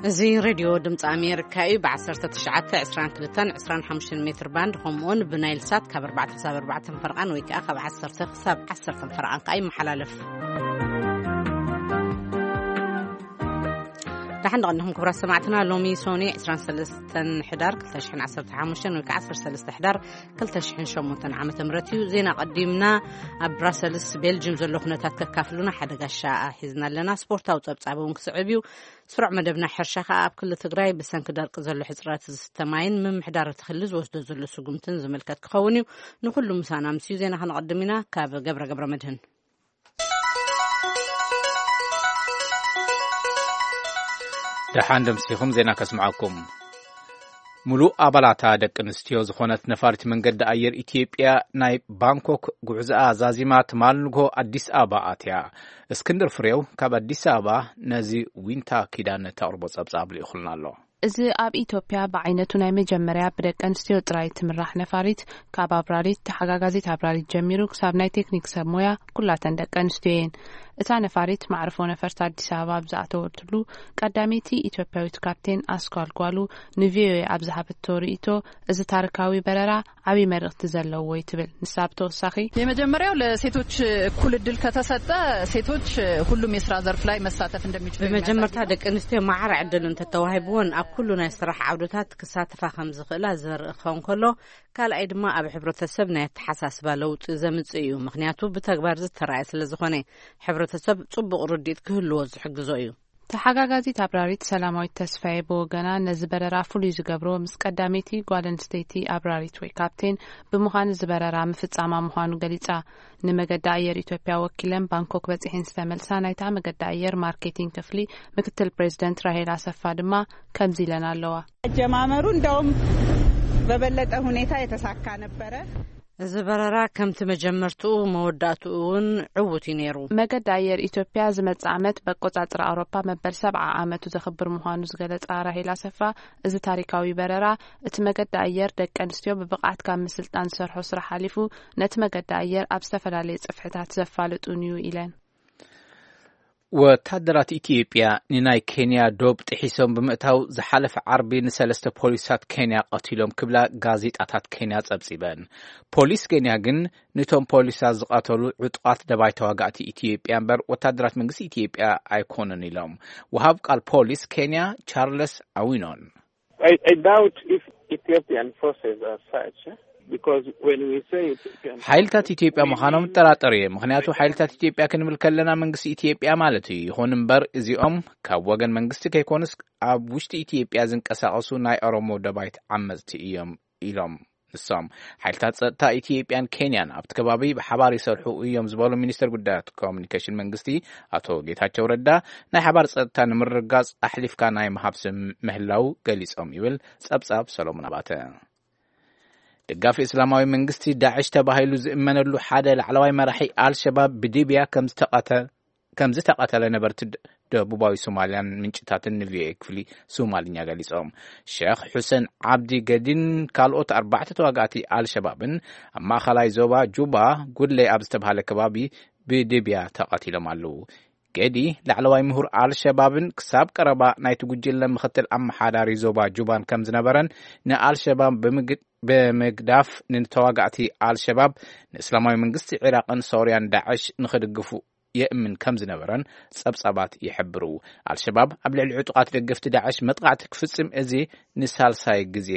እዚ ሬድዮ ድምፂ ኣሜሪካ እዩ። ብ1922-25 ሜትር ባንድ፣ ከምኡውን ብናይል ሳት ካብ ኣርባዕተ ክሳብ ኣርባዕተ ፈረቓን ወይ ከዓ ካብ ዓሰርተ ክሳብ ዓሰርተ ፈረቓን ከዓ ይመሓላለፍ። ደሓን ደቐንኹም ክቡራት ሰማዕትና። ሎሚ ሶኒ 23 ሕዳር 2015 ወይ ከዓ 13 ሕዳር 2008 ዓመተ ምህረት እዩ። ዜና ቀዲምና። ኣብ ብራሰልስ ቤልጅም ዘሎ ኩነታት ከካፍሉና ሓደ ጋሻ ሒዝና ኣለና። ስፖርታዊ ጸብጻብ እውን ክስዕብ እዩ። ስሩዕ መደብና ሕርሻ ከኣ ኣብ ክልል ትግራይ ብሰንኪ ደርቂ ዘሎ ሕጽረት ዝስተ ማይን ምምሕዳር እቲ ክልል ዝወስዶ ዘሎ ስጉምትን ዝምልከት ክኸውን እዩ። ንኹሉ ምሳና ምስ እዩ። ዜና ከነቐድም ኢና። ካብ ገብረ ገብረ መድህን። ደሓን ደምሲኹም ዜና ከስምዓኩም። ሙሉእ ኣባላታ ደቂ ኣንስትዮ ዝኾነት ነፋሪት መንገዲ ኣየር ኢትዮጵያ ናይ ባንኮክ ጉዕዞኣ ዛዚማ ትማል ንግሆ ኣዲስ ኣበባ ኣትያ። እስክንድር ፍሬው ካብ ኣዲስ ኣበባ ነዚ ዊንታ ኪዳነ ተቕርቦ ጸብጻብ ልኢኹልና ኣሎ። እዚ ኣብ ኢትዮጵያ ብዓይነቱ ናይ መጀመርያ ብደቂ ኣንስትዮ ጥራይ ትምራሕ ነፋሪት፣ ካብ ኣብራሪት፣ ተሓጋጋዚት ኣብራሪት ጀሚሩ ክሳብ ናይ ቴክኒክ ሰብ ሞያ፣ ኩላተን ደቂ ኣንስትዮ እየን። እታ ነፋሪት ማዕርፎ ነፈርቲ ኣዲስ ኣበባ ኣብ ዝኣተወትሉ፣ ቀዳመይቲ ኢትዮጵያዊት ካፕቴን ኣስኳል ጓሉ ንቪኦኤ ኣብ ዝሃበቶ ርእይቶ፣ እዚ ታሪካዊ በረራ ዓብዪ መልእኽቲ ዘለዎ እዩ ትብል። ንሳ ብተወሳኺ፣ የመጀመሪያው ለሴቶች እኩል እድል ከተሰጠ፣ ሴቶች ሁሉም የስራ ዘርፍ ላይ መሳተፍ እንደሚችሉ ብመጀመርታ የሚያሳይ ነው። ደቂ ኣንስትዮ ማዕረ ዕድል እንተተዋሂብዎን ኣብ ኩሉ ናይ ስራሕ ዓውድታት ክሳተፋ ከም ዝኽእላ ዘርኢ ክኸውን ከሎ፣ ካልኣይ ድማ ኣብ ሕብረተሰብ ናይ ኣተሓሳስባ ለውጢ ዘምጽእ እዩ። ምኽንያቱ ብተግባር ዝተራእየ ስለ ዝኾነ፣ ሕብረተሰብ ጽቡቕ ርድኢት ክህልዎ ዝሕግዞ እዩ። ተሓጋጋዚት ኣብራሪት ሰላማዊት ተስፋዬ ብወገና፣ ነዚ በረራ ፍሉይ ዝገብሮ ምስ ቀዳመይቲ ጓል ኣንስተይቲ ኣብራሪት ወይ ካፕቴን ብምዃን እዚ በረራ ምፍጻማ ምዃኑ ገሊጻ። ንመገዲ ኣየር ኢትዮጵያ ወኪለን ባንኮክ በጺሐን ዝተመልሳ ናይታ መገዲ ኣየር ማርኬቲንግ ክፍሊ ምክትል ፕሬዚደንት ራሄል ኣሰፋ ድማ ከምዚ ኢለን ኣለዋ። አጀማመሩ እንደውም በበለጠ ሁኔታ የተሳካ ነበረ። እዚ በረራ ከምቲ መጀመርትኡ መወዳእትኡ እውን ዕዉት እዩ ነይሩ። መገዲ ኣየር ኢትዮጵያ ዝመጽእ ዓመት በቆጻጽራ ኣውሮፓ መበል ሰብዓ ዓመቱ ዘኽብር ምዃኑ ዝገለጻ ራሄል ኣሰፋ፣ እዚ ታሪካዊ በረራ እቲ መገዲ ኣየር ደቂ ኣንስትዮ ብብቕዓት ካብ ምስልጣን ዝሰርሖ ስራሕ ሓሊፉ ነቲ መገዲ ኣየር ኣብ ዝተፈላለየ ጽፍሕታት ዘፋልጥ እውን እዩ ኢለን። ወታደራት ኢትዮጵያ ንናይ ኬንያ ዶብ ጥሒሶም ብምእታው ዝሓለፈ ዓርቢ ንሰለስተ ፖሊሳት ኬንያ ቀቲሎም ክብላ ጋዜጣታት ኬንያ ጸብጺበን። ፖሊስ ኬንያ ግን ንቶም ፖሊሳት ዝቐተሉ ዕጡቓት ደባይ ተዋጋእቲ ኢትዮጵያ እምበር ወታደራት መንግስቲ ኢትዮጵያ ኣይኮኑን ኢሎም። ወሃብ ቃል ፖሊስ ኬንያ ቻርለስ ኣዊኖን። I, I doubt if Ethiopian forces are such, eh? Because when we say Ethiopian ሓይልታት ኢትዮጵያ ምዃኖም እጠራጠር እየ። ምኽንያቱ ሓይልታት ኢትዮጵያ ክንብል ከለና መንግስቲ ኢትዮጵያ ማለት እዩ። ይኹን እምበር እዚኦም ካብ ወገን መንግስቲ ከይኮኑስ ኣብ ውሽጢ ኢትዮጵያ ዝንቀሳቐሱ ናይ ኦሮሞ ደባይት ዓመፅቲ እዮም ኢሎም። ንሶም ሓይልታት ጸጥታ ኢትዮጵያን ኬንያን ኣብቲ ከባቢ ብሓባር ይሰርሑ እዮም ዝበሉ ሚኒስትር ጉዳያት ኮሚኒኬሽን መንግስቲ ኣቶ ጌታቸው ረዳ፣ ናይ ሓባር ጸጥታ ንምርግጋጽ ኣሕሊፍካ ናይ ምሃብ ስም ምህላው ገሊጾም ይብል ጸብጻብ ሰሎሞን ኣባተ። ደጋፊ እስላማዊ መንግስቲ ዳዕሽ ተባሂሉ ዝእመነሉ ሓደ ላዕለዋይ መራሒ ኣልሸባብ ብሊብያ ከም ዝተቐተ-፣ ከም ዝተቐተለ ነበርቲ ደ-፣ ደቡባዊ ሶማልያን ምንጭታትን ንቪኦኤ ክፍሊ ሶማልኛ ገሊጾም። ሸኽ ሑሰን ዓብዲ ገዲን ካልኦት ኣርባዕተ ተዋጋእቲ ኣልሸባብን ኣብ ማእኸላይ ዞባ ጁባ ጉድለይ ኣብ ዝተባህለ ከባቢ ብሊብያ ተቐቲሎም ኣለዉ። ገዲ ላዕለዋይ ምሁር ኣልሸባብን ክሳብ ቀረባ ናይቲ ጉጅለ ምኽትል ኣመሓዳሪ ዞባ ጁባን ከም ዝነበረን ንኣልሸባብ ብምግ-፣ ብምግዳፍ ንተዋጋእቲ ኣልሸባብ ንእስላማዊ መንግስቲ ዒራቕን ሶርያን ዳዕሽ ንኽድግፉ የእምን ከም ዝነበረን ጸብጻባት ይሕብሩ። ኣልሸባብ ኣብ ልዕሊ ዕጡቓት ደገፍቲ ዳዕሽ መጥቃዕቲ ክፍጽም እዚ ንሳልሳይ ግዜ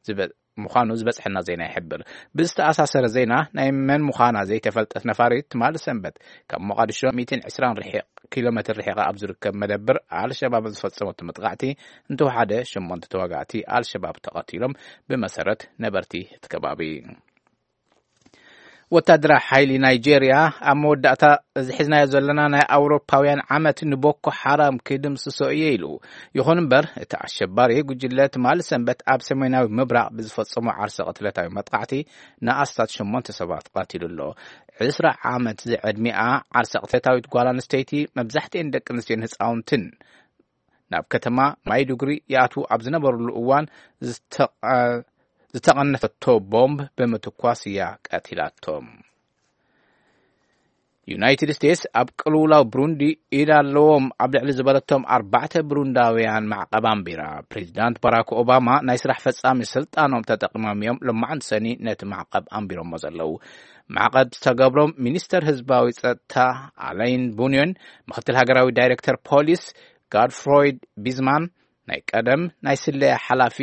ዝበ-፣ ምዃኑ ዝበጽሐና ዜና ይሕብር። ብዝተኣሳሰረ ዜና፣ ናይ መን ምዃና ዘይተፈልጠት ነፋሪት ትማሊ ሰንበት ካብ ሞቓዲሾ ሚእትን ዕስራን ርሒቕ-፣ ኪሎ ሜትር ርሒቓ ኣብ ዝርከብ መደብር ኣልሸባብ ዝፈጸመቶ መጥቃዕቲ እንተወሓደ ሸሞንተ ተዋጋእቲ ኣልሸባብ ተቐቲሎም፣ ብመሰረት ነበርቲ እቲ ከባቢ። ወታደራዊ ሓይሊ ናይጄርያ ኣብ መወዳእታ እዚ ሒዝናዮ ዘለና ናይ ኣውሮፓውያን ዓመት ንቦኮ ሓራም ክድምስሶ እየ ኢሉ። ይኹን እምበር፣ እቲ ኣሸባሪ ጉጅለ ትማሊ ሰንበት ኣብ ሰሜናዊ ምብራቕ ብዝፈጸሞ ዓርሰ ቅትለታዊ መጥቃዕቲ ንኣስታት ሸሞንተ ሰባት ቀቲሉ ኣሎ። ዕስራ ዓመት ዝዕድሚኣ ዓርሰ ቅትለታዊት ጓል ኣንስተይቲ፣ መብዛሕትኤን ደቂ ኣንስትዮን ህፃውንትን፣ ናብ ከተማ ማይዱጉሪ ይኣትዉ ኣብ ዝነበሩሉ እዋን ዝተቐ-፣ ዝተቐነተቶ ቦምብ ብምትኳስ እያ ቀቲላቶም። ዩናይትድ ስቴትስ ኣብ ቅልውላው ብሩንዲ ኢድ ኣለዎም ኣብ ልዕሊ ዝበለቶም ኣርባዕተ ብሩንዳውያን ማዕቐብ ኣንቢራ። ፕሬዚዳንት ባራክ ኦባማ ናይ ስራሕ ፈጻሚ ስልጣኖም ተጠቂሞም እዮም ሎማዓንቲ ሰኒ ነቲ ማዕቐብ ኣንቢሮሞ ዘለዉ። ማዕቐብ ዝተገብሮም ሚኒስተር ህዝባዊ ጸጥታ ኣለይን ቡንዮን፣ ምክትል ሃገራዊ ዳይሬክተር ፖሊስ ጋድፍሮይድ ቢዝማን፣ ናይ ቀደም ናይ ስለያ ሓላፊ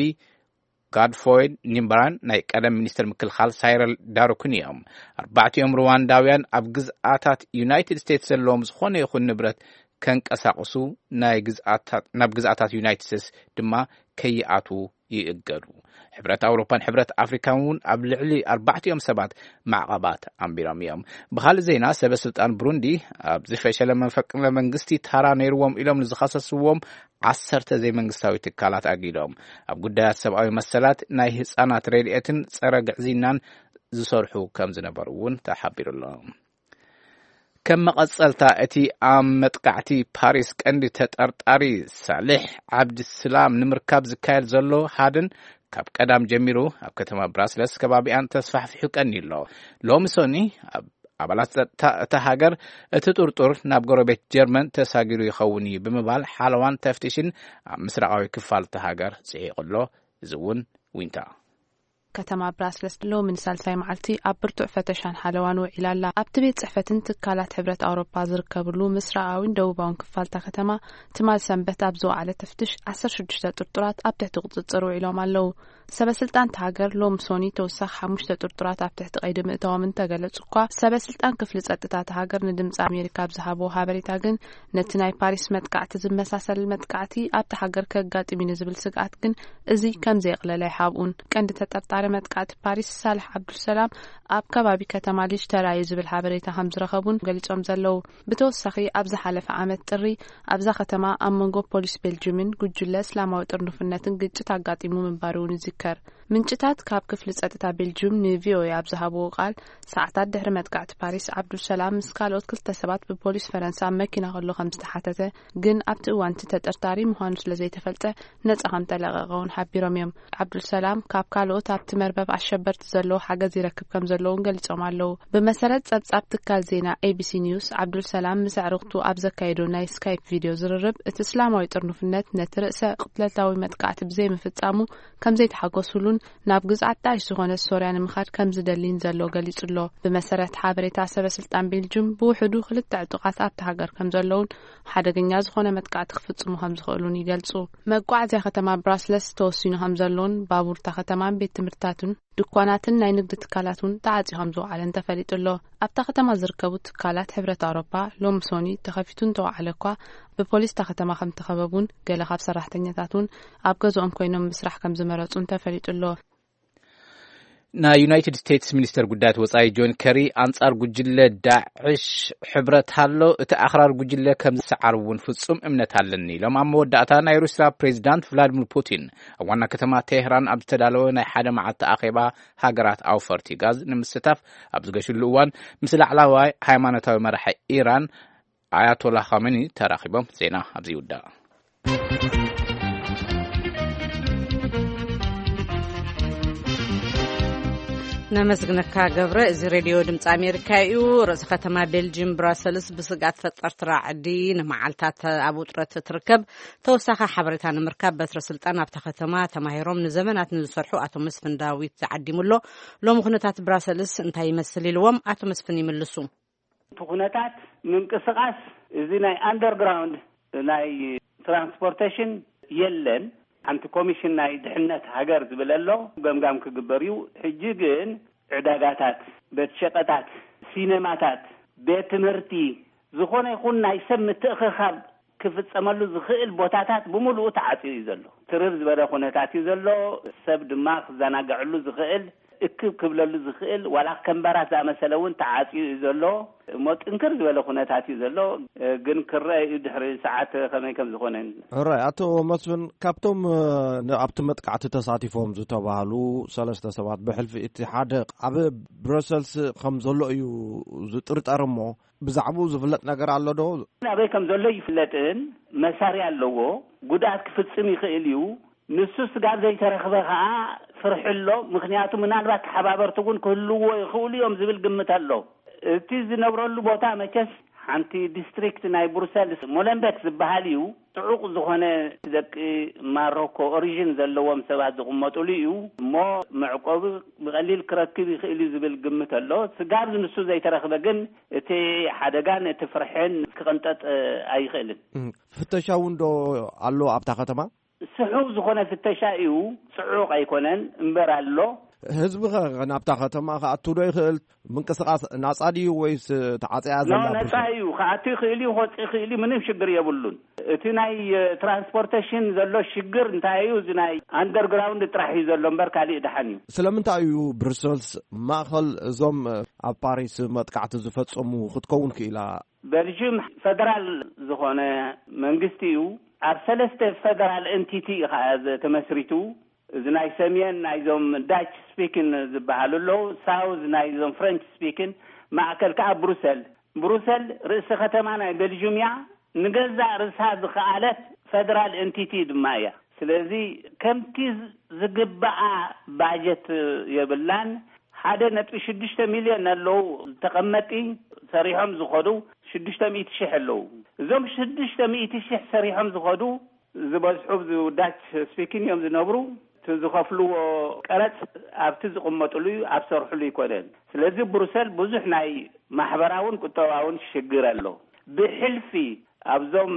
ጋድፎይድ ኒምበራን ናይ ቀደም ሚኒስትር ምክልኻል ሳይረል ዳሩክን እዮም። ኣርባዕቲኦም ሩዋንዳውያን ኣብ ግዝኣታት ዩናይትድ ስቴትስ ዘለዎም ዝኾነ ይኹን ንብረት ከንቀሳቕሱ፣ ናይ ግዝኣታት ናብ ግዝኣታት ዩናይትድ ስቴትስ ድማ ከይኣትዉ ይእገዱ። ሕብረት ኣውሮፓን ሕብረት ኣፍሪካን እውን ኣብ ልዕሊ ኣርባዕቲኦም ሰባት ማዕቐባት ኣንቢሮም እዮም። ብኻልእ ዜና፣ ሰበ ስልጣን ብሩንዲ ኣብዚ ፈሸለ መፈቅለ መንግስቲ ታራ ነይርዎም ኢሎም ንዝኸሰስዎም ዓሰርተ ዘይመንግስታዊ ትካላት ኣጊዶም፣ ኣብ ጉዳያት ሰብኣዊ መሰላት፣ ናይ ህጻናት ረድኤትን ጸረ ግዕዝይናን ዝሰርሑ ከም ዝነበሩ እውን ተሓቢሩ ኣሎ። ከም መቐጸልታ፣ እቲ ኣብ መጥቃዕቲ ፓሪስ ቀንዲ ተጠርጣሪ ሳልሕ ዓብድስላም ንምርካብ ዝካየድ ዘሎ ሃድን፣ ካብ ቀዳም ጀሚሩ ኣብ ከተማ ብራስለስ ከባቢኣን ተስፋሕፊሑ ቀንዩ ኣሎ። ሎሚ ሰኒ ኣብ ኣባላት ጸጥታ እታ ሃገር፣ እቲ ጥርጡር ናብ ጎረቤት ጀርመን ተሳጊሩ ይኸውን እዩ ብምባል ሓለዋን ተፍትሽን ኣብ ምስራቓዊ ክፋል እታ ሃገር ጽሒቑ ኣሎ። እዚ እውን ዊንታ። ከተማ ብራስለስ ሎሚ ንሳልሳይ መዓልቲ ኣብ ብርቱዕ ፈተሻን ሓለዋን ውዒላ ኣላ። ኣብቲ ቤት ጽሕፈትን ትካላት ሕብረት ኣውሮፓ ዝርከብሉ ምስራቓዊን ደቡባውን ክፋልታ ከተማ፣ ትማል ሰንበት ኣብ ዝወዓለ ተፍትሽ ዓሰርተ ሽዱሽተ ጥርጡራት ኣብ ትሕቲ ቁጽጽር ውዒሎም ኣለዉ። ሰበ ስልጣን እታ ሃገር ሎም ሶኒ ተወሳኺ ሓሙሽተ ጥርጡራት ኣብ ትሕቲ ቀይዲ ምእታዎም እንተገለጹ እኳ፣ ሰበ ስልጣን ክፍሊ ጸጥታ እታ ሃገር ንድምጺ ኣሜሪካ ኣብ ዝሃብዎ ሓበሬታ ግን፣ ነቲ ናይ ፓሪስ መጥቃዕቲ ዝመሳሰል መጥቃዕቲ ኣብታ ሃገር ከጋጥም እዩ ንዝብል ስግኣት ግን፣ እዚ ከም ዘየቕለለ ኣይሓብኡን። ቀንዲ ተጠርጣሪ መጥቃዕቲ ፓሪስ ሳልሕ ዓብዱልሰላም ኣብ ከባቢ ከተማ ሊጅ ተራእዩ ዝብል ሓበሬታ ከም ዝረኸቡን ገሊጾም ዘለዉ። ብተወሳኺ፣ ኣብ ዝሓለፈ ዓመት ጥሪ ኣብዛ ከተማ ኣብ መንጎ ፖሊስ ቤልጅምን ጉጅለ እስላማዊ ጥርንፍነትን ግጭት ኣጋጢሙ ምንባሩ እውን ይዝከር። ምንጭታት ካብ ክፍሊ ጸጥታ ቤልጅም ንቪኦኤ ኣብ ዝሃብዎ ቃል፣ ሰዓታት ድሕሪ መጥቃዕቲ ፓሪስ፣ ዓብዱልሰላም ምስ ካልኦት ክልተ ሰባት ብፖሊስ ፈረንሳ ኣብ መኪና ከሎ ከም ዝተሓተተ፣ ግን ኣብቲ እዋን እቲ ተጠርጣሪ ምዃኑ ስለ ዘይተፈልጠ፣ ነጻ ከም ተለቐቐ እውን ሓቢሮም እዮም። ዓብዱልሰላም ካብ ካልኦት ኣብቲ መርበብ ኣሸበርቲ ዘለዎ ሓገዝ ይረክብ ከም ዘለውን ገሊጾም ኣለዉ። ብመሰረት ጸብጻብ ትካል ዜና ኤቢሲ ኒውስ፣ ዓብዱልሰላም ምስ ኣዕሩኽቱ ኣብ ዘካየዶ ናይ ስካይፕ ቪድዮ ዝርርብ፣ እቲ እስላማዊ ጥርኑፍነት ነቲ ርእሰ ቅትለታዊ መጥቃዕቲ ብዘይምፍጻሙ ከም ዘይተሓጎሱሉን ናብ ግዝኣት ዳዕሽ ዝኾነት ሶርያ ንምኻድ ከም ዝደሊን ዘሎ ገሊጹ ኣሎ። ብመሰረት ሓበሬታ ሰበ ስልጣን ቤልጅም፣ ብውሕዱ ክልተ ዕጡቓት ኣብቲ ሃገር ከም ዘለውን ሓደገኛ ዝኾነ መጥቃዕቲ ክፍጽሙ ከም ዝኽእሉን ይገልጹ። መጓዓዝያ ከተማ ብራስለስ ተወሲኑ ከም ዘሎን፣ ባቡር እታ ከተማን ቤት ትምህርትታትን ድኳናትን ናይ ንግዲ ትካላት እውን ተዓጽዩ ከም ዝወዓለን ተፈሊጡ ኣሎ። ኣብታ ከተማ ዝርከቡ ትካላት ሕብረት ኣውሮፓ ሎም ሶኒ ተኸፊቱ እንተወዓለ እኳ፣ ብፖሊስ እታ ከተማ ከም ተኸበቡን ገለ ካብ ሰራሕተኛታት እውን ኣብ ገዝኦም ኮይኖም ምስራሕ ከም ዝመረጹን ተፈሊጡ ኣሎ። ናይ ዩናይትድ ስቴትስ ሚኒስተር ጉዳያት ወጻኢ ጆን ከሪ፣ ኣንጻር ጉጅለ ዳዕሽ ሕብረት ኣሎ፣ እቲ ኣኽራር ጉጅለ ከም ዝሰዓር እውን ፍጹም እምነት ኣለኒ ኢሎም። ኣብ መወዳእታ፣ ናይ ሩስያ ፕሬዚዳንት ቭላዲሚር ፑቲን ኣብ ዋና ከተማ ቴህራን ኣብ ዝተዳለወ ናይ ሓደ መዓልቲ ኣኼባ ሃገራት ኣውፈርቲ ጋዝ ንምስታፍ ኣብ ዝገሽሉ እዋን፣ ምስ ላዕላዋይ ሃይማኖታዊ መራሒ ኢራን ኣያቶላ ኻሜኒ ተራኺቦም። ዜና ኣብዚ ይውዳእ። ነመስግነካ ገብረ። እዚ ሬድዮ ድምፂ ኣሜሪካ እዩ። ርእሲ ከተማ ቤልጅም ብራሰልስ ብስግኣት ፈጠርቲ ራዕዲ ንመዓልታት ኣብ ውጥረት ትርከብ። ተወሳኺ ሓበሬታ ንምርካብ በትረ ስልጣን ኣብታ ከተማ ተማሂሮም ንዘመናት ንዝሰርሑ ኣቶ መስፍን ዳዊት ተዓዲሙ ኣሎ። ሎሚ ኩነታት ብራሰልስ እንታይ ይመስል ኢልዎም ኣቶ መስፍን ይምልሱ። እቲ ኩነታት ምንቅስቓስ እዚ ናይ ኣንደርግራውንድ ናይ ትራንስፖርቴሽን የለን። ሓንቲ ኮሚሽን ናይ ድሕነት ሃገር ዝብል ኣሎ፣ ገምጋም ክግበር እዩ። ሕጂ ግን ዕዳጋታት፣ ቤት ሸቐጣት፣ ሲነማታት፣ ቤት ትምህርቲ፣ ዝኾነ ይኹን ናይ ሰብ ምትእኽኻብ ክፍጸመሉ ዝኽእል ቦታታት ብምሉኡ ተዓጽዩ እዩ ዘሎ። ትርር ዝበለ ኩነታት እዩ ዘሎ። ሰብ ድማ ክዘናግዐሉ ዝኽእል፣ እክብ ክብለሉ ዝኽእል፣ ዋላ ከም ባራት ዝኣመሰለ እውን ተዓጽዩ እዩ ዘሎ። እሞ ጥንክር ዝበለ ኩነታት እዩ ዘሎ። ግን ክረአ እዩ ድሕሪ ሰዓት ከመይ ከም ዝኾነ። ሕራይ፣ ኣቶ መስፍን፣ ካብቶም፣ እ፣ ን-፣ ኣብቲ መጥቃዕቲ ተሳቲፎም ዝተባህሉ ሰለስተ ሰባት፣ ብሕልፊ እቲ ሓደ ኣብ ብረሰልስ ከም ዘሎ እዩ ዝጥርጠር። እሞ ብዛዕባኡ ዝፍለጥ ነገር ኣሎ ዶ? ኣበይ ከም ዘሎ ይፍለጥን መሳርያ ኣለዎ። ጉድኣት ክፍጽም ይኽእል እዩ። ንሱ ስጋብ ዘይተረኽበ ኸኣ ፍርሒ ኣሎ። ምኽንያቱ ምናልባት ተሓባበርቲ እውን ክህልዎ ይኽእሉ እዮም ዝብል ግምት ኣሎ። እቲ ዝነብረሉ ቦታ መቸስ ሓንቲ ዲስትሪክት ናይ ብሩሰልስ ሞለንቤክ ዝበሃል እዩ። ጽዑቕ ዝኾነ ደቂ ማሮኮ ኦሪጅን ዘለዎም ሰባት ዝቕመጡሉ እዩ። እሞ መዕቆቢ ብቐሊል ክረክብ ይኽእል እዩ ዝብል ግምት ኣሎ። ስጋብ ንሱ ዘይተረኽበ ግን እቲ ሓደጋን እቲ ፍርሕን ክቕንጠጥ ኣይኽእልን። ፍተሻ እውን ዶ ኣሎ ኣብታ ከተማ? ስሑው ዝኾነ ፍተሻ እዩ። ጽዑቕ ኣይኮነን እምበር ኣሎ። ህዝቢ ኸ ናብታ ከተማ ክኣቱ ዶ ይኽእል? ምንቅስቓስ ናጻ ድዩ ወይስ ተዓጽያ ዘላ ነጻ እዩ። ክኣቱ ይኽእል እዩ፣ ክወጽእ ይኽእል እዩ። ምንም ሽግር የብሉን። እቲ ናይ ትራንስፖርቴሽን ዘሎ ሽግር እንታይ እዩ? እዚ ናይ ኣንደርግራውንድ ጥራሕ እዩ ዘሎ እምበር ካሊእ ደሓን እዩ። ስለምንታይ እዩ ብሩሰልስ ማእኸል እዞም ኣብ ፓሪስ መጥቃዕቲ ዝፈጸሙ ክትከውን ክኢላ? በልጅም ፈደራል ዝኾነ መንግስቲ እዩ። ኣብ ሰለስተ ፈደራል ኤንቲቲ እዩ ከዓ ተመስሪቱ። እዚ ናይ ሰሜን ናይዞም ዳች ስፒክን ዝበሃሉ ኣለዉ፣ ሳውዝ ናይዞም ፍረንች ስፒክን፣ ማእከል ከዓ ብሩሰል። ብሩሰል ርእሲ ከተማ ናይ ቤልጅም እያ። ንገዛእ ርእሳ ዝኸኣለት ፈደራል ኤንቲቲ ድማ እያ። ስለዚ ከምቲ ዝግባኣ ባጀት የብላን። ሓደ ነጥቢ ሽዱሽተ ሚልዮን ኣለዉ ተቐመጢ፣ ሰሪሖም ዝኸዱ ሽዱሽተ ሚእቲ ሽሕ ኣለዉ። እዞም ሽዱሽተ ሚእቲ ሽሕ ሰሪሖም ዝኸዱ ዝበዝሑ ኣብዚ ዳች ስፒኪን እዮም ዝነብሩ። እቲ ዝኸፍልዎ ቀረጽ ኣብቲ ዝቕመጥሉ እዩ፣ ኣብ ሰርሕሉ ይኮነን። ስለዚ ብሩሰል ብዙሕ ናይ ማሕበራውን ቁጠባውን ሽግር ኣሎ። ብሕልፊ ኣብዞም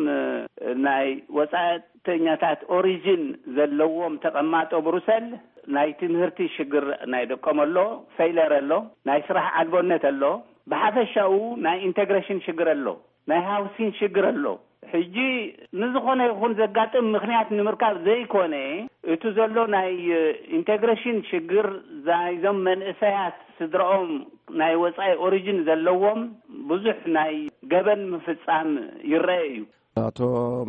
ናይ ወጻእተኛታት ኦሪጅን ዘለዎም ተቐማጦ ብሩሰል ናይ ትምህርቲ ሽግር ናይ ደቆም ኣሎ፣ ፌይለር ኣሎ፣ ናይ ስራሕ ኣልቦነት ኣሎ። ብሓፈሻኡ ናይ ኢንተግሬሽን ሽግር ኣሎ፣ ናይ ሃውሲን ሽግር ኣሎ። ሕጂ ንዝኾነ ይኹን ዘጋጥም ምኽንያት ንምርካብ ዘይኮነ፣ እቲ ዘሎ ናይ ኢንተግሬሽን ሽግር ናይዞም መንእሰያት ስድራኦም ናይ ወጻኢ ኦሪጅን ዘለዎም ብዙሕ ናይ ገበን ምፍጻም ይረአ እዩ። ኣቶ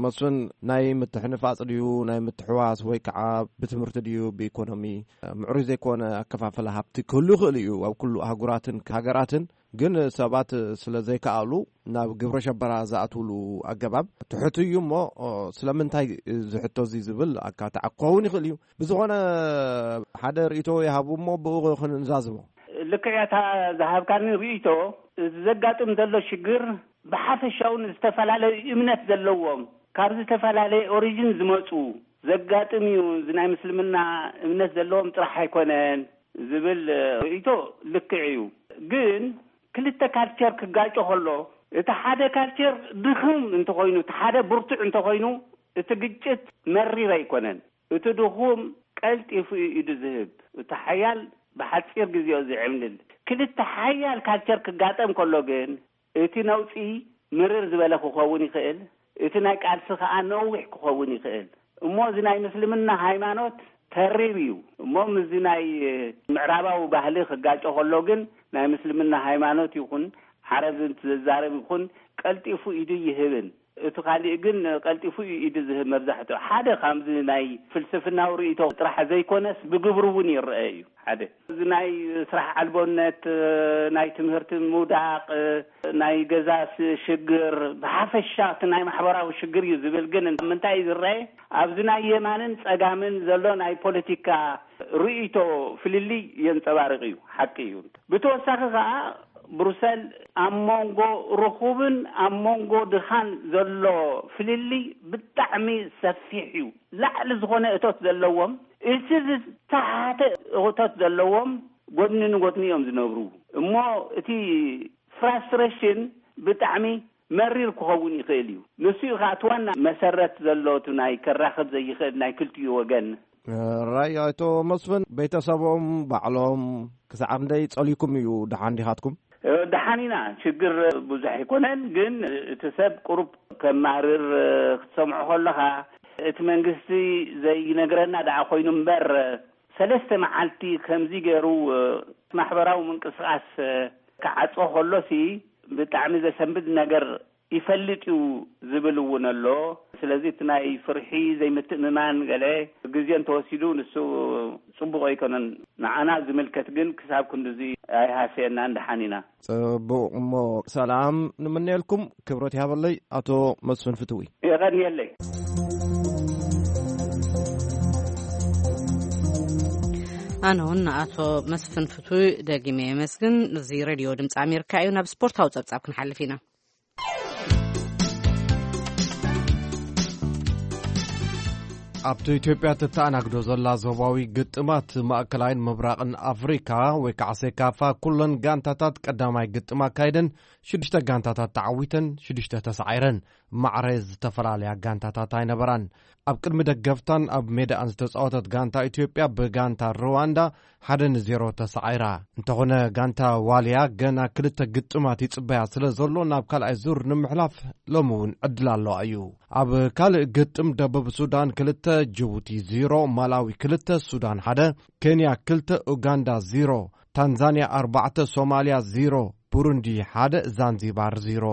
መስፍን፣ ናይ ምትሕንፋጽ ድዩ ናይ ምትሕዋስ ወይ ከዓ ብትምህርቲ ድዩ ብኢኮኖሚ ምዕሩይ ዘይኮነ ኣከፋፈላ ሃብቲ ክህሉ ይኽእል እዩ ኣብ ኩሉ ኣህጉራትን ሃገራትን። ግን ሰባት ስለ ዘይከኣሉ ናብ ግብረ ሸበራ ዝኣትውሉ ኣገባብ ትሑት እዩ እሞ፣ ስለምንታይ ዝሕቶ እዚ ዝብል ኣካታዕ ክኸውን ይኽእል እዩ። ብዝኾነ ሓደ ርእይቶ ይሃቡ እሞ ብኡ ክንዛዝሞ። ልክዕ እያ እታ ዝሃብካኒ ርእይቶ። እዚ ዘጋጥም ዘሎ ሽግር ብሓፈሻውን ዝተፈላለዩ እምነት ዘለዎም ካብ ዝተፈላለየ ኦሪጅን ዝመፁ ዘጋጥም እዩ። እዚ ናይ ምስልምና እምነት ዘለዎም ጥራሕ ኣይኮነን ዝብል ርእይቶ ልክዕ እዩ። ግን ክልተ ካልቸር ክጋጮ ከሎ እቲ ሓደ ካልቸር ድኽም እንተኾይኑ፣ እቲ ሓደ ብርቱዕ እንተኾይኑ፣ እቲ ግጭት መሪር ኣይኮነን። እቲ ድኹም ቀልጢፉ እዩ ኢዱ ዝህብ። እቲ ሓያል ብሓፂር ግዜኡ ዝዕምልል። ክልተ ሓያል ካልቸር ክጋጠም ከሎ ግን እቲ ነውፂ ምርር ዝበለ ክኸውን ይኽእል፣ እቲ ናይ ቃልሲ ከዓ ነዊሕ ክኸውን ይኽእል። እሞ እዚ ናይ ምስልምና ሃይማኖት ተሪር እዩ። እሞ ምስዚ ናይ ምዕራባዊ ባህሊ ክጋጮ ከሎ ግን ናይ ምስልምና ሃይማኖት ይኹን ዓረብ እንትዛረብ ይኹን ቀልጢፉ ኢዱ ይህብን። እቲ ካሊእ ግን ቀልጢፉ እዩ ኢዱ ዝህብ። መብዛሕትኡ ሓደ ካብዚ ናይ ፍልስፍናዊ ርእይቶ ጥራሕ ዘይኮነስ ብግብሩ እውን ይረአ እዩ። ሓደ እዚ ናይ ስራሕ ኣልቦነት፣ ናይ ትምህርቲ ምውዳቕ፣ ናይ ገዛ ስ- ሽግር፣ ብሓፈሻ እቲ ናይ ማሕበራዊ ሽግር እዩ ዝብል። ግን ምንታይ እዩ ዝረአ? ኣብዚ ናይ የማንን ጸጋምን ዘሎ ናይ ፖለቲካ ርእይቶ ፍልልይ የንጸባርቕ እዩ። ሓቂ እዩ። ብተወሳኺ ከኣ ብሩሰል ኣብ መንጎ ርኹብን ኣብ መንጎ ድኻን ዘሎ ፍልልይ ብጣዕሚ ሰፊሕ እዩ። ላዕሊ ዝኾነ እቶት ዘለዎም፣ እቲ ዝተሓተ እቶት ዘለዎም ጎድኒ ንጎድኒ እዮም ዝነብሩ። እሞ እቲ ፍራስትሬሽን ብጣዕሚ መሪር ክኸውን ይኽእል እዩ። ንሱ እዩ ከዓ እቲ ዋና መሰረት ዘሎ እቲ ናይ ከራኽብ ዘይኽእል ናይ ክልቲኡ ወገን። ራይ ኣቶ መስፍን፣ ቤተሰቦም ባዕሎም ክሳዕ ክንደይ ጸሊኩም እዩ ደሓን ዲኻትኩም? ደሓን ኢና፣ ሽግር ብዙሕ ኣይኮነን። ግን እቲ ሰብ ቁሩብ ከማርር ክትሰምዖ ከለኻ፣ እቲ መንግስቲ ዘይነግረና ደኣ ኮይኑ እምበር፣ ሰለስተ መዓልቲ ከምዚ ገይሩ ማሕበራዊ ምንቅስቃስ ክዓጾ ከሎሲ ብጣዕሚ ዘሰንብድ ነገር ይፈልጥ እዩ ዝብል እውን ኣሎ። ስለዚ እቲ ናይ ፍርሒ ዘይምትእምማን ገለ ግዜ እንተወሲዱ ንሱ ጽቡቕ ኣይኮነን። ንዓና ዝምልከት ግን ክሳብ ክንድዚ ኣይሃሰየናን፣ ደሓን ኢና። ጽቡቕ እሞ ሰላም ንምነየልኩም። ክብረት ይሃበለይ ኣቶ መስፍን ፍትዊ። የቐንየለይ። ኣነ እውን ንኣቶ መስፍን ፍቱይ ደጊመ የመስግን። እዚ ሬድዮ ድምፂ ኣሜሪካ እዩ። ናብ ስፖርታዊ ጸብጻብ ክንሓልፍ ኢና። ኣብቲ ኢትዮጵያ ትተኣናግዶ ዘላ ዞባዊ ግጥማት ማእከላይን ምብራቕን ኣፍሪካ ወይ ከዓ ሴካፋ ኩለን ጋንታታት ቀዳማይ ግጥም ኣካይደን ሽዱሽተ ጋንታታት ተዓዊተን ሽዱሽተ ተሳዒረን። ማዕረ ዝተፈላለያ ጋንታታት ኣይነበራን። ኣብ ቅድሚ ደገፍታን ኣብ ሜዳኣን ዝተፃወተት ጋንታ ኢትዮጵያ ብጋንታ ሩዋንዳ ሓደ ንዜሮ ተሳዒራ። እንተኾነ ጋንታ ዋልያ ገና ክልተ ግጥማት ይፅበያ ስለ ዘሎ ናብ ካልኣይ ዙር ንምሕላፍ ሎሚ እውን ዕድል ኣለዋ እዩ። ኣብ ካልእ ግጥም ደቡብ ሱዳን ክልተ፣ ጅቡቲ ዜሮ፣ ማላዊ ክልተ፣ ሱዳን ሓደ፣ ኬንያ ክልተ፣ ኡጋንዳ ዜሮ፣ ታንዛንያ ኣርባዕተ፣ ሶማልያ ዜሮ፣ ብሩንዲ ሓደ፣ ዛንዚባር ዜሮ።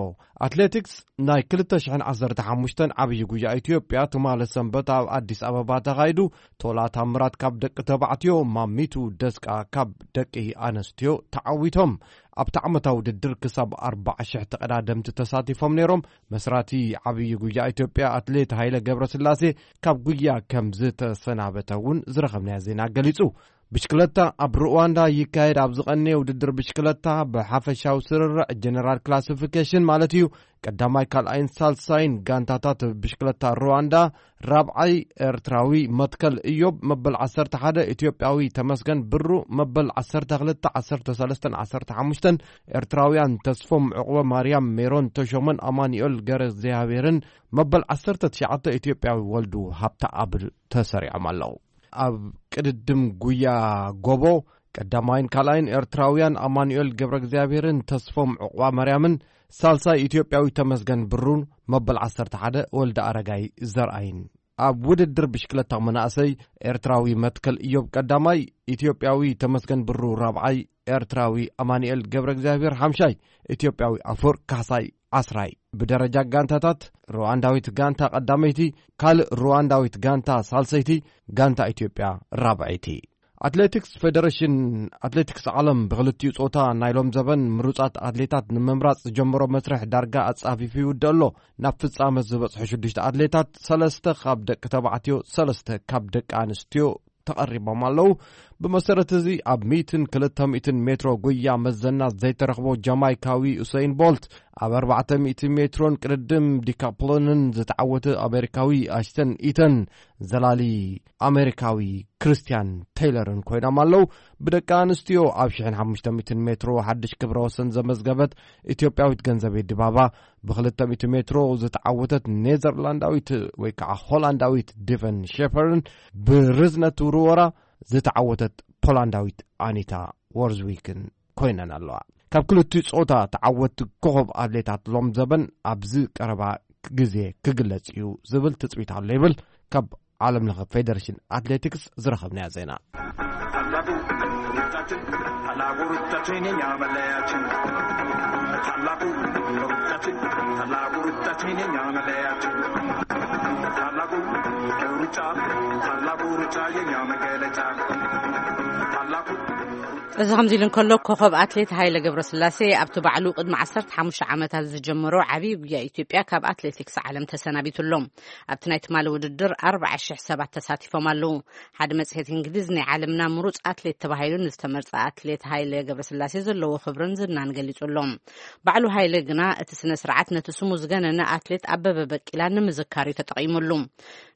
ኣትሌቲክስ ናይ ክልተ ሽሕን ዓሰርተ ሓሙሽተን ዓብዪ ጉያ ኢትዮጵያ ትማሊ ሰንበት ኣብ ኣዲስ ኣበባ ተኻይዱ። ቶላ ታምራት ካብ ደቂ ተባዕትዮ፣ ማሚቱ ደስቃ ካብ ደቂ ኣነስትዮ ተዓዊቶም። ኣብቲ ዓመታዊ ውድድር ክሳብ ኣርባዓ ሽሕ ተቐዳደምቲ ተሳቲፎም ነይሮም። መስራቲ ዓብዪ ጉያ ኢትዮጵያ ኣትሌት ሃይለ ገብረስላሴ ካብ ጉያ ከም ዝተሰናበተ እውን ዝረኸብናዮ ዜና ገሊጹ። ብሽክለታ ኣብ ሩዋንዳ ይካየድ ኣብ ዝቐነየ ውድድር ብሽክለታ ብሓፈሻዊ ስርርዕ ጀነራል ክላሲፊኬሽን ማለት እዩ። ቀዳማይ ካልኣይን ሳልሳይን ጋንታታት ብሽክለታ ሩዋንዳ፣ ራብዓይ ኤርትራዊ መትከል እዮብ መበል ዓሰርተ ሓደ፣ ኢትዮጵያዊ ተመስገን ብሩ መበል ዓሰርተ ክልተ፣ ዓሰርተ ሰለስተን ዓሰርተ ሓሙሽተን፣ ኤርትራውያን ተስፎም ዕቑበ ማርያም፣ ሜሮን ተሾመን ኣማኑኤል ገረ እግዚኣብሔርን መበል ዓሰርተ ትሽዓተ፣ ኢትዮጵያዊ ወልዱ ሃብተኣብ ተሰሪዖም ኣለዉ። ኣብ ቅድድም ጉያ ጎቦ ቀዳማይን ካልኣይን ኤርትራውያን ኣማኑኤል ገብረ እግዚኣብሔርን ተስፎም ዕቑባ ማርያምን፣ ሳልሳይ ኢትዮጵያዊ ተመስገን ብሩን መበል ዓሰርተ ሓደ ወልደ ኣረጋይ ዘርኣይን። ኣብ ውድድር ብሽክለታ መናእሰይ ኤርትራዊ መትከል እዮብ ቀዳማይ፣ ኢትዮጵያዊ ተመስገን ብሩ ራብዓይ፣ ኤርትራዊ ኣማኑኤል ገብረ እግዚኣብሔር ሓምሻይ፣ ኢትዮጵያዊ ኣፈወርቅ ካሕሳይ ዓስራይ። ብደረጃ ጋንታታት ሩዋንዳዊት ጋንታ ቀዳመይቲ፣ ካልእ ሩዋንዳዊት ጋንታ ሳልሰይቲ፣ ጋንታ ኢትዮጵያ ራብዐይቲ። ኣትሌቲክስ፣ ፌደሬሽን ኣትሌቲክስ ዓለም ብክልቲኡ ጾታ ናይ ሎም ዘበን ምሩጻት ኣትሌታት ንምምራጽ ዝጀመሮ መስርሕ ዳርጋ ኣጻፊፉ ይውድእ ኣሎ። ናብ ፍጻመ ዝበጽሑ ሽዱሽተ ኣትሌታት፣ ሰለስተ ካብ ደቂ ተባዕትዮ፣ ሰለስተ ካብ ደቂ ኣንስትዮ ተቐሪቦም ኣለዉ። ብመሰረት እዚ ኣብ ሚእትን ክልተ ሚእትን ሜትሮ ጉያ መዘና ዘይተረኽቦ ጃማይካዊ ኡሰይን ቦልት፣ ኣብ ኣርባዕተ ሚእቲ ሜትሮን ቅድድም ዲካፕሎንን ዝተዓወተ ኣሜሪካዊ ኣሽተን ኢተን፣ ዘላሊ ኣሜሪካዊ ክርስቲያን ቴይለርን ኮይኖም ኣለዉ። ብደቂ ኣንስትዮ ኣብ ሽሕን ሓሙሽተ ሚእትን ሜትሮ ሓድሽ ክብረ ወሰን ዘመዝገበት ኢትዮጵያዊት ገንዘቤ ድባባ፣ ብክልተ ሚእቲ ሜትሮ ዝተዓወተት ኔዘርላንዳዊት ወይ ከዓ ሆላንዳዊት ዲቨን ሼፐርን፣ ብርዝነት ውርወራ ዝተዓወተት ፖላንዳዊት ኣኒታ ዎርዝዊክን ኮይነን ኣለዋ። ካብ ክልቲኡ ጾታ ተዓወትቲ ኮኸብ ኣትሌታት ሎም ዘበን ኣብዚ ቀረባ ግዜ ክግለጽ እዩ ዝብል ትጽቢት ኣሎ ይብል ካብ ዓለም ለኸ ፌደሬሽን ኣትሌቲክስ ዝረኸብናዮ ዜና። ታላቁ ሩጫችን፣ ታላቁ ሩጫችን የኛ መለያችን። ታላቁ ሩጫችን፣ ታላቁ ሩጫችን የኛ መለያችን። ታላቁ ሩጫ፣ ታላቁ ሩጫ የኛ መገለጫ። ታላቁ እዚ ከምዚ ኢሉ እንከሎ፣ ኮኸብ ኣትሌት ሃይለ ገብረስላሴ ኣብቲ ባዕሉ ቅድሚ ዓሰርተ ሓሙሽተ ዓመታት ዝጀመሮ ዓብዪ ጉያ ኢትዮጵያ ካብ ኣትሌቲክስ ዓለም ተሰናቢቱ ኣሎ። ኣብቲ ናይ ትማሊ ውድድር ኣርባዓ ሽሕ ሰባት ተሳቲፎም ኣለዉ። ሓደ መጽሔት እንግሊዝ ናይ ዓለምና ምሩጽ ኣትሌት ተባሂሉ ንዝተመርጸ ኣትሌት ሃይለ ገብረስላሴ ዘለዎ ክብርን ዝናን ገሊጹ ኣሎ። ባዕሉ ሃይለ ግና እቲ ስነ ስርዓት ነቲ ስሙ ዝገነነ ኣትሌት ኣበበ በቂላ ንምዝካር እዩ ተጠቒሙሉ።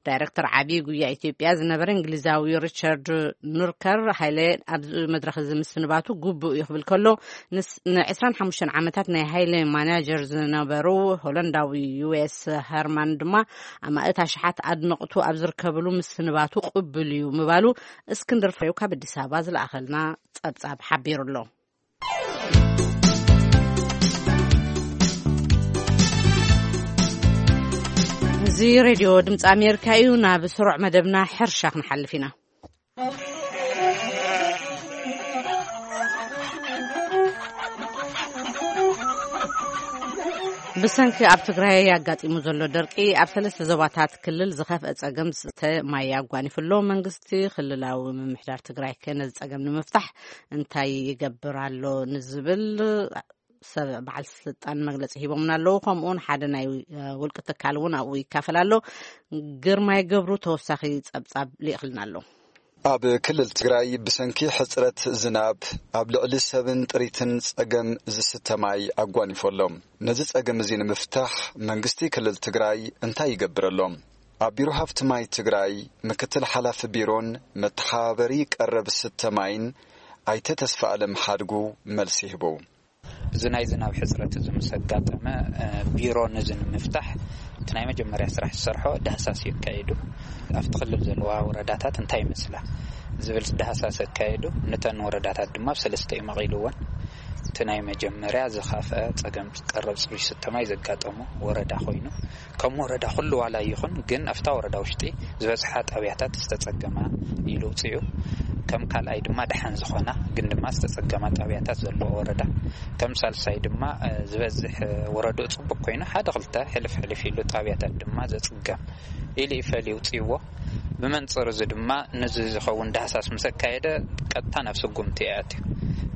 ዳይረክተር ዓብዪ ጉያ ኢትዮጵያ ዝነበረ እንግሊዛዊ ሪቻርድ ኑርከር፣ ሃይለ ኣብዚ መድረኽ እዚ ምስንባቱ ግቡእ እዩ ክብል ከሎ፣ ንስ-፣ ን ዕስራን ሓሙሽተን ዓመታት ናይ ሃይለ ማናጀር ዝነበሩ ሆላንዳዊ ዩ ኤስ ሀርማን ድማ ኣማእት ኣሽሓት ኣድነቕቱ ኣብ ዝርከብሉ ምስንባቱ ቅቡል እዩ ምባሉ እስክንድር ፍሬው ካብ ኣዲስ ኣበባ ዝለኣኸልና ጸብጻብ ሓቢሩ ኣሎ። እዚ ሬድዮ ድምፂ ኣሜሪካ እዩ። ናብ ስሩዕ መደብና ሕርሻ ክንሓልፍ ኢና። ብሰንኪ ኣብ ትግራይ ኣጋጢሙ ዘሎ ደርቂ፣ ኣብ ሰለስተ ዞባታት ክልል ዝኸፍአ ጸገም ዝስተ ማይ ኣጓኒፉ ኣሎ። መንግስቲ ክልላዊ ምምሕዳር ትግራይ ከ ነዚ ጸገም ንምፍታሕ እንታይ ይገብር ኣሎ ንዝብል ሰብ በዓል ስልጣን መግለጺ ሂቦምና ኣለዉ። ከምኡውን ሓደ ናይ፣ እ፣ ውልቂ ትካል እውን ኣብኡ ይካፈል ኣሎ። ግርማይ ገብሩ ተወሳኺ ጸብጻብ ልኢኽልና ኣሎ። ኣብ ክልል ትግራይ ብሰንኪ ሕፅረት ዝናብ ኣብ ልዕሊ ሰብን ጥሪትን ፀገም ዝስተ ማይ ኣጓኒፎ ኣሎ። ነዚ ፀገም እዚ ንምፍታሕ መንግስቲ ክልል ትግራይ እንታይ ይገብር ኣሎ? ኣብ ቢሮ ሃፍቲ ማይ ትግራይ ምክትል ሓላፊ ቢሮን መተሓባበሪ ቀረብ ስተ ማይን ኣይተ ተስፋ ኣለም ሓድጉ መልሲ ይህቡ። እዚ ናይ ዝናብ ሕፅረት እዚ ምስ ኣጋጠመ፣ እ፣ ቢሮ ነዚ ንምፍታሕ እቲ ናይ መጀመርያ ስራሕ ዝሰርሖ ዳህሳስ የካይዱ። ኣብቲ ክልል ዘለዋ ወረዳታት እንታይ ይመስላ ዝብል ዳህሳስ ኣካይዱ። ነተን ወረዳታት ድማ ኣብ ሰለስተ እዩ መቒልወን። እቲ ናይ መጀመርያ ዝኸፍአ ፀገም ቀረብ ፅሩይ ስተ ማይ ዘጋጠሞ ወረዳ ኮይኑ፣ ከም ወረዳ ኩሉ ዋላ ይኹን፣ ግን ኣብታ ወረዳ ውሽጢ ዝበዝሓ ጣብያታት ዝተፀገማ ኢሉ ውፅኡ። ከም ካልኣይ ድማ ደሓን ዝኾና ግን ድማ ዝተፀገማ ጣብያታት ዘለዎ ወረዳ፣ ከም ሳልሳይ ድማ፣ እ፣ ዝበዝሕ፣ እ፣ ወረድኡ ፅቡቅ ኮይኑ ሓደ ክልተ ሕልፍ ሕልፍ ኢሉ ጣብያታት ድማ ዘፅገም ኢሉ ይፈልዩ ውፅእዎ። ብመንፅር እዚ ድማ ነዚ ዝኸውን ዳህሳስ ምስ ኣካየደ ቀጥታ ናብ ስጉምቲ ይኣትዩ።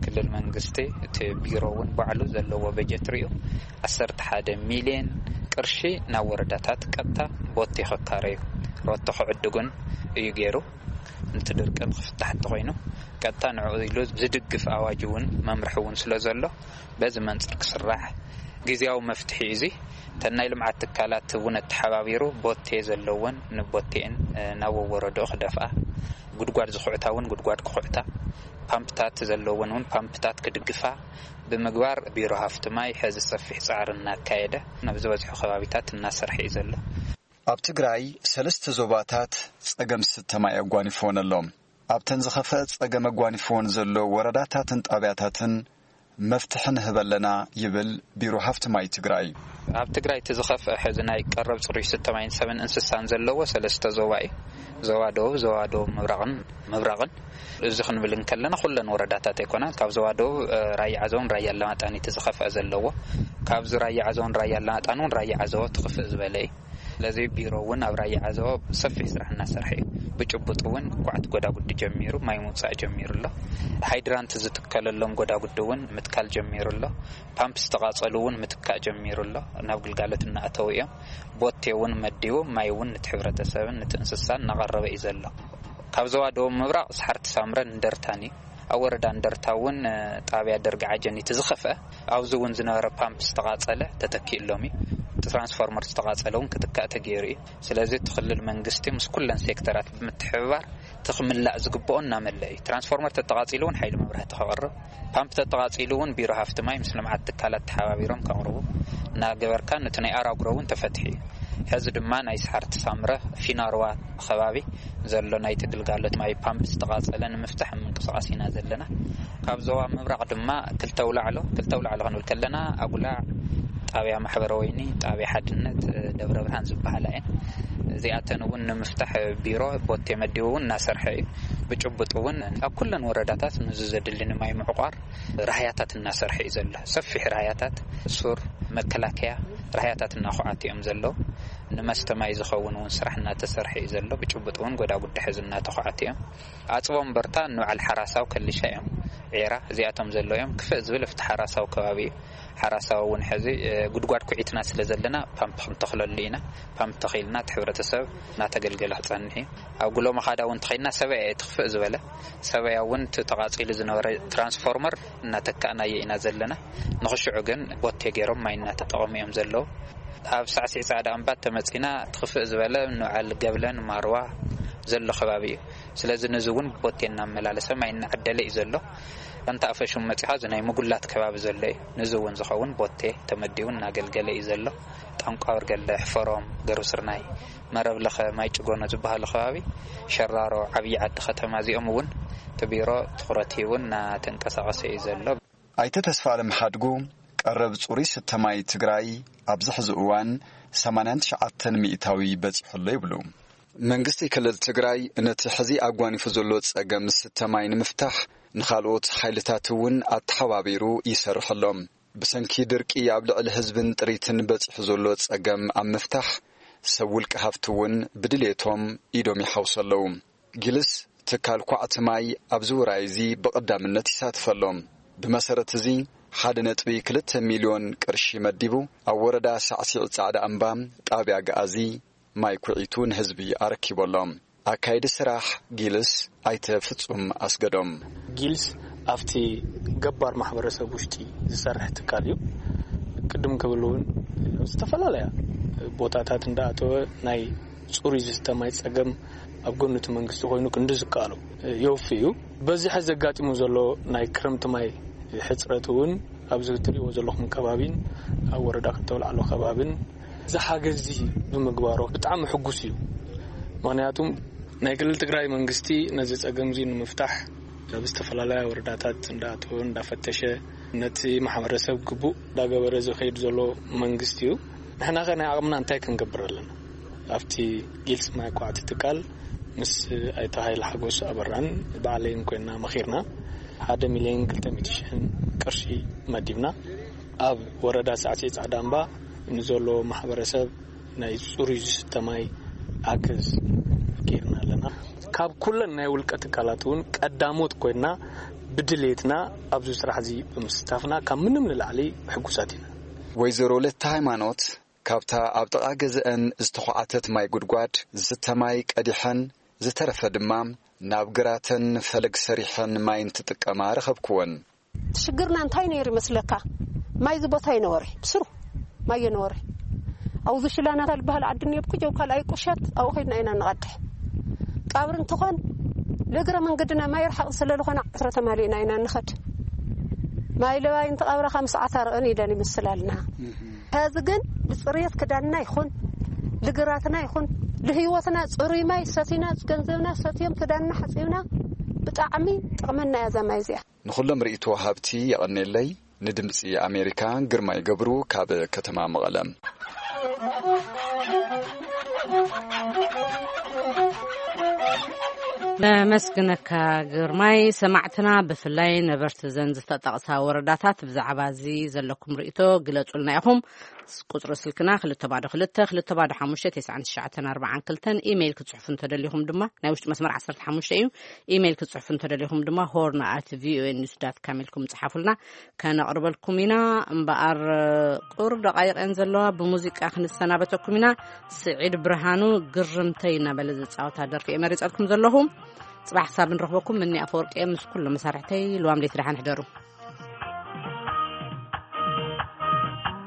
ክልል መንግስቲ እቲ ቢሮ እውን ባዕሉ ዘለዎ በጀት ሪኡ ዓሰርተ ሓደ ሚልዮን ቅርሺ ናብ ወረዳታት ቀጥታ ቦቲ ክካረዩ ሮቶ ክዕድጉን እዩ ገይሩ። ነቲ ድርቂ ንክፍታሕ እንተኮይኑ ቀጥታ ንዕኡ ኢሉ ዝድግፍ ኣዋጅ እውን መምርሒ እውን ስለ ዘሎ በዚ መንፅር ክስራሕ ግዜያዊ መፍትሒ እዩ። እዚ እተን ናይ ልምዓት ትካላት እውን ኣተሓባቢሩ ቦቴ ዘለወን ንቦቴን፣ እ፣ ናብ ወረድኡ ክደፍኣ፣ ጉድጓድ ዝኹዕታ እውን ጉድጓድ ክኹዕታ፣ ፓምፕታት ዘለወን እውን ፓምፕታት ክድግፋ ብምግባር ቢሮ ሃፍቲ ማይ ሕዚ ሰፊሕ ፃዕሪ እናካየደ ናብ ዝበዝሑ ከባቢታት እናሰርሐ እዩ ዘሎ። ኣብ ትግራይ ሰለስተ ዞባታት ጸገም ስተ ማይ ኣጓኒፍወን ኣሎ። ኣብተን ዝኸፍአ ጸገም ኣጓኒፍወን ዘሎ ወረዳታትን ጣብያታትን መፍትሒ ንህብ ኣለና ይብል ቢሮ ሃፍቲ ማይ ትግራይ። ኣብ ትግራይ እቲ ዝኸፍአ ሕዚ ናይ ቀረብ ጽሩይ ስተ ማይን ሰብን እንስሳን ዘለዎ ሰለስተ ዞባ እዩ። ዞባ ደቡብ፣ ዞባ ደቡብ ምብራቕን ምብራቕን። እዚ ክንብል እንከለና ኩለን ወረዳታት ኣይኮናን። ካብ ዞባ ደቡብ፣ እ፣ ራያ ዓዘውን ራያ ኣላማጣን እቲ ዝኸፍአ ዘለዎ። ካብዚ ራያ ዓዘውን ራያ ኣላማጣን እውን ራያ ዓዘቦ ትኽፍእ ዝበለ እዩ። ስለዚ ቢሮ እውን ኣብ ራያ ዓዘቦ ሰፊሕ ስራሕ እናሰርሐ እዩ። ብጭቡጥ እውን ኳዕቲ ጎዳጉዲ ጀሚሩ፣ ማይ ምውፃእ ጀሚሩ ኣሎ። ሃይድራንት ዝትከለሎም ጎዳጉዲ እውን ምትካል ጀሚሩ ኣሎ። ፓምፕ ዝተቓፀሉ እውን ምትካእ ጀሚሩ ኣሎ። ናብ ግልጋሎት እናኣተዉ እዮም። ቦቴ እውን መዲቡ፣ ማይ እውን ነቲ ሕብረተሰብን ነቲ እንስሳን እናቐረበ እዩ ዘሎ። ካብ ዞባ ደቡብ ምብራቕ ሰሓርቲ ሳምረን እንደርታን እዩ። ኣብ ወረዳ እንደርታ እውን፣ እ፣ ጣብያ ደርጊ ዓጀኒቲ ዝኸፍአ፣ ኣብዚ እውን ዝነበረ ፓምፕ ዝተቓጸለ ተተኪእሎም እዩ። እቲ ትራንስፎርመር ዝተቓጸለ እውን ክትካእ ተገይሩ እዩ። ስለዚ እቲ ክልል መንግስቲ ምስ ኩለን ሴክተራት ብምትሕብባር እቲ ክምላእ ዝግብኦ እናመልአ እዩ። ትራንስፎርመር ተተቓጺሉ እውን ሓይሊ መብራህቲ ከቕርብ፣ ፓምፕ ተተቓጺሉ እውን ቢሮ ሃፍቲ ማይ ምስ ልምዓት ትካላት ተሓባቢሮም ከቕርቡ እናገበርካ፣ ነቲ ናይ ኣራጉሮ እውን ተፈትሒ እዩ። ሕዚ ድማ ናይ ሰሓርቲ ሳምረ ፊናርዋ ከባቢ ዘሎ ናይቲ ግልጋሎት ማይ ፓምፕ ዝተቓጸለ ንምፍታሕ ኣብ ምንቅስቓስ ኢና ዘለና። ካብ ዞባ ምብራቕ ድማ ክልተ ኣውላዕሎ፣ ክልተ ኣውላዕሎ ክንብል ከለና ኣጉላዕ፣ ጣብያ ማሕበረ ወይኒ፣ ጣብያ ሓድነት፣ ደብረ ብርሃን ዝበሃላ እየን። እዚኣተን እውን ንምፍታሕ ቢሮ ቦቴ መዲቡ እውን እናሰርሐ እዩ። ብጭቡጥ እውን ኣብ ኩለን ወረዳታት ነዚ ዘድሊ ንማይ ምዕቋር ራህያታት እናሰርሐ እዩ ዘሎ። ሰፊሕ ራህያታት፣ ሱር፣ መከላከያ ራህያታት እናኹዓት እዮም ዘለዉ። ንመስተ ማይ ዝኸውን እውን ስራሕ እናተሰርሐ እዩ ዘሎ። ብጭቡጥ እውን ጎዳጉዲ ሕዚ እናተኹዓት እዮም። ኣፅቦ እምበርታ ንበዓል ሓራሳው ከሊሻ እዮም። ዒራ እዚኣቶም ዘለዉ እዮም። ክፍእ ዝብል ኣብቲ ሓራሳው ከባቢ እዩ። ሓራሳው እውን ሕዚ፣ እ፣ ጉድጓድ ኩዒትና ስለ ዘለና ፓምፕ ክንተኽለሉ ኢና። ፓምፕ ተኺልና እቲ ሕብረተሰብ እናተገልገለ ክፀንሕ እዩ። ኣብ ጉሎ መኻዳ እውን ተኸይድና ሰበያ እየ ትኽፍእ ዝበለ። ሰበያ እውን እቲ ተቓፂሉ ዝነበረ ትራንስፎርመር እናተካእናዮ ኢና ዘለና። ንኽሽዑ ግን ቦቴ ገይሮም ማይ እናተጠቐሙ እዮም ዘለዉ። ኣብ ሳዕሲዕ ጻዕዳ እምባ ተመጺና ትኽፍእ ዝበለ ንበዓል ገብለን ማርዋ ዘሎ ከባቢ እዩ። ስለዚ ነዚ እውን ቦቴ እናመላለሰ ማይ እናዓደለ እዩ ዘሎ። ኣንታ ኣፈሹም መጺኻ እዚ ናይ ምጉላት ከባቢ ዘሎ እዩ። ነዚ እውን ዝኸውን ቦቴ ተመዲቡ እናገልገለ እዩ ዘሎ። ጣንቋ ወርገለ፣ ሕፈሮም፣ ገሩ ስርናይ፣ መረብ ለኸ፣ ማይ ጭጎኖ ዝበሃሉ ከባቢ፣ ሸራሮ፣ ዓብዪ ዓዲ ከተማ እዚኦም እውን እቲ ቢሮ ትኹረት ሂቡ እናተንቀሳቐሰ እዩ ዘሎ። ኣይተ ተስፋ ኣለም ሓድጉ፣ ቀረብ ጽሩይ ስተ ማይ ትግራይ ኣብዚ ሕዚ እዋን ሰማንያን ትሽዓተን ሚእታዊ በጺሑ ኣሎ ይብሉ። መንግስቲ ክልል ትግራይ ነቲ ሕዚ ኣጓኒፉ ዘሎ ጸገም ስተ ማይ ንምፍታሕ ንኻልኦት ሓይልታት እውን ኣተሓባቢሩ ይሰርሕ ኣሎ። ብሰንኪ ድርቂ ኣብ ልዕሊ ህዝብን ጥሪትን በጺሑ ዘሎ ጸገም ኣብ ምፍታሕ ሰብ ውልቂ ሃፍቲ እውን ብድሌቶም ኢዶም ይሓውሱ ኣለዉ። ጊልስ ትካል ኳዕቲ ማይ ኣብዚ ውራይ እዚ ብቐዳምነት ይሳተፍ ኣሎ። ብመሰረት እዚ ሓደ ነጥቢ ክልተ ሚልዮን ቅርሺ መዲቡ ኣብ ወረዳ ሳዕሲዕ ጻዕዳ እምባ ጣብያ ገኣዚ ማይ ኩዒቱ ንህዝቢ ኣረኪቡ ኣሎ። ኣካይዲ ስራሕ ጊልስ ኣይተ ፍጹም ኣስገዶም። ጊልስ ኣብቲ ገባር ማሕበረሰብ ውሽጢ ዝሰርሕ ትካል እዩ። ቅድም ክብል እውን ኣብ ዝተፈላለያ ቦታታት እንዳኣተወ ናይ ጽሩይ ዝስተ ማይ ጸገም ኣብ ጎኒ እቲ መንግስቲ ኮይኑ ክንዲ ዝከኣሎ የውፊ እዩ። በዚ ሕዚ ዘጋጢሙ ዘሎ ናይ ክረምቲ ማይ ሕጽረት እውን ኣብዚ እትሪእዎ ዘለኹም ከባቢን ኣብ ወረዳ ክልተ ኣውላዕሎ ከባብን እዚ ሓገዝ እዚ ብምግባሩ ብጣዕሚ ሕጉስ እዩ። ምኽንያቱም ናይ ክልል ትግራይ መንግስቲ ነዚ ጸገም እዚ ንምፍታሕ ኣብ ዝተፈላለያ ወረዳታት እንዳኣተወ እንዳፈተሸ ነቲ ማሕበረሰብ ግቡእ እንዳገበረ ዝኸይድ ዘሎ መንግስቲ እዩ። ንሕና ኸ ናይ ዓቕምና እንታይ ክንገብር ኣለና? ኣብቲ ጊልስ ማይ ኳዕቲ ትካል ምስ ኣይተ ሃይለ ሓጎስ ኣበራን ባዕለይን ኮይና መኺርና ሓደ ሚልዮን ክልተ ሚእቲ ሽሕን ቅርሺ መዲብና ኣብ ወረዳ ሳዕስዒ ጻዕዳ እምባ ንዘሎ ማሕበረሰብ ናይ ጽሩይ ዝስተ ማይ ሓገዝ ጌርና ኣለና። ካብ ኩለን ናይ ውልቀ ትካላት እውን ቀዳሞት ኮይና ብድሌትና ኣብዚ ስራሕ እዚ ብምስታፍና ካብ ምንም ንላዕሊ ሕጉሳት ኢና። ወይዘሮ ለተ ሃይማኖት ካብታ ኣብ ጥቓ ገዝአን ዝተዃዓተት ማይ ጉድጓድ ዝስተ ማይ ቀዲሐን ዝተረፈ ድማ ናብ ግራተን ፈለግ ሰሪሐን ማይ እንትጥቀማ ረኸብክወን። ሽግርና እንታይ ነይሩ ይመስለካ? ማይ እዚ ቦታ ይነበረ፣ ብስሩ ማይ የነበረ። ኣብዚ ሽላናታ ዝበሃል ዓዲ እኒኦ፣ ብኩጀው ካልኣይ ቁሸት ኣብኡ ከይድና ኢና ንቐድሕ። ቀብሪ እንትኾን ንእግረ መንገድና ማይ ርሓቕ ስለ ዝኾነ ዓስረ ተማሊእና ኢና ንኸድ። ማይ ለባይ እንትቐብረኻ ምስ ዓታርቕን ኢለን ይምስላልና። ሕዚ ግን ንፅርየት ክዳንና ይኹን፣ ልግራትና ይኹን፣ ልህይወትና ፅሩይ ማይ ሰቲና፣ ገንዘብና ሰትዮም ክዳንና ሓፂብና፣ ብጣዕሚ ጥቕመና እያ እዛ ማይ እዚኣ። ንኹሎም ርእይቶ ሃብቲ የቐኔለይ። ንድምፂ ኣሜሪካ ግርማይ ገብሩ ካብ ከተማ መቐለ። ነመስግነካ ግርማይ። ሰማዕትና ብፍላይ ነበርቲ ዘን ዝተጠቕሳ ወረዳታት ብዛዕባ እዚ ዘለኩም ርእይቶ ግለጹልና ኢኹም። ቁጽሪ ስልክና ክልተ ባዶ ክልተ ክልተ ባዶ ሓሙሽተ ተስዓን ትሽዓተን ኣርባዓን ክልተን። ኢሜይል ክትጽሕፉ እንተደሊኹም ድማ ናይ ውሽጢ መስመር ዓሰርተ ሓሙሽተ እዩ። ኢሜይል ክትጽሕፉ እንተደሊኹም ድማ ሆርን ኣት ቪኦኤ ኒውስ ዳት ካም ኢልኩም ጽሓፉልና፣ ከነቕርበልኩም ኢና። እምበኣር ቁሩብ ደቓይቕ እየን ዘለዋ፣ ብሙዚቃ ክንሰናበተኩም ኢና። ስዒድ ብርሃኑ ግርምተይ እናበለ ዝጻወታ ደርፊ እየ መሪጸልኩም ዘለኹ። ጽባሕ ክሳብ ንረኽበኩም፣ ምኒ ኣፈወርቂ እየ ምስ ኩሎም መሳርሕተይ። ልዋም ለይቲ ደሓን ሕደሩ።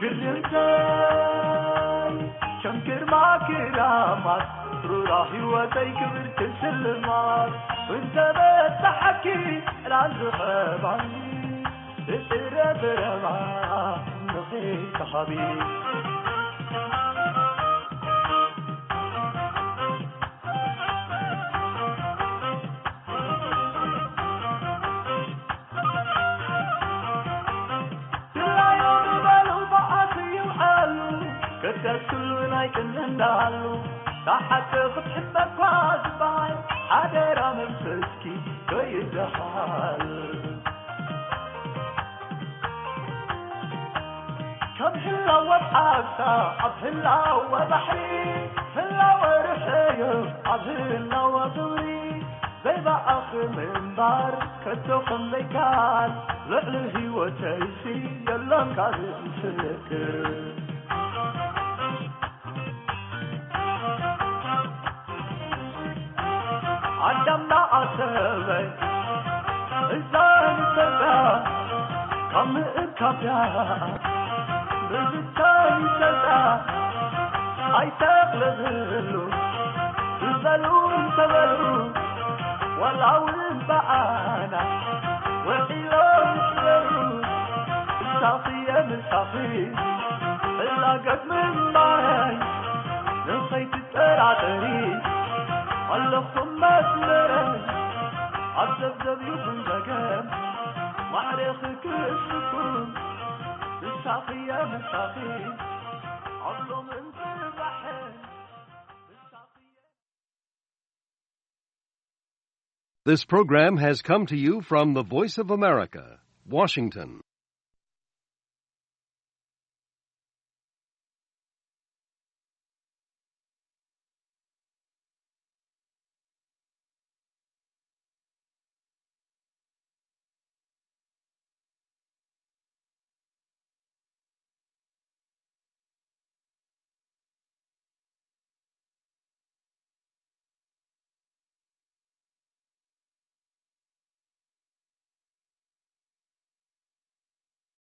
ግርምተይ ከም ግርማ ክራማት ሩራ ህይወተይ ክብርቲ ስልማት እንተ በጻሓኪ ዕላል ዝኸባኒ ብጥረ ብረባ ንኺ ተሃቢ። ድላዩ ዝበሉ ብዓት ይውዓሉ፣ ክደስሉ ናይ ቅንእንዳሉ፣ ተሓተ ክትሕመኳ ዝበሃል ሓደራ መንፈስኪ ከይደሃል። ከም ህላወ ዓሳ ኣብ ህላወ ባሕሪ፣ ህላወ ርሕዮ ኣብ ህላወ ግብሪ፣ ዘይበኣኽ ምንባር ከቶ ከም ዘይከኣል፣ ልዕሊ ህይወተይሲ የሎን ካልእ ምስክር። ኣዳምና ኣሰበይ እዛ ንፈልጣ ካብ ምእካብያ ብዝታይ ይሰጣ ኣይተቕልብሉ ዝበሉ እንተበሉ ዋላ እውን ብኣና ውዒሎም ይሕበሩ። እሳኺ የምሳኺ እላገት ምንባረይ ንኸይትጠራጠሪ ኣለኹም መስመረይ ኣብ ዘብዘብ ይኹን ዘገም ማዕሬኺ ክእስኩም እሳኺ የምሳኺ ኣብሎምን ጽባሕን እሳኺ This program has come to you from the Voice of America, Washington.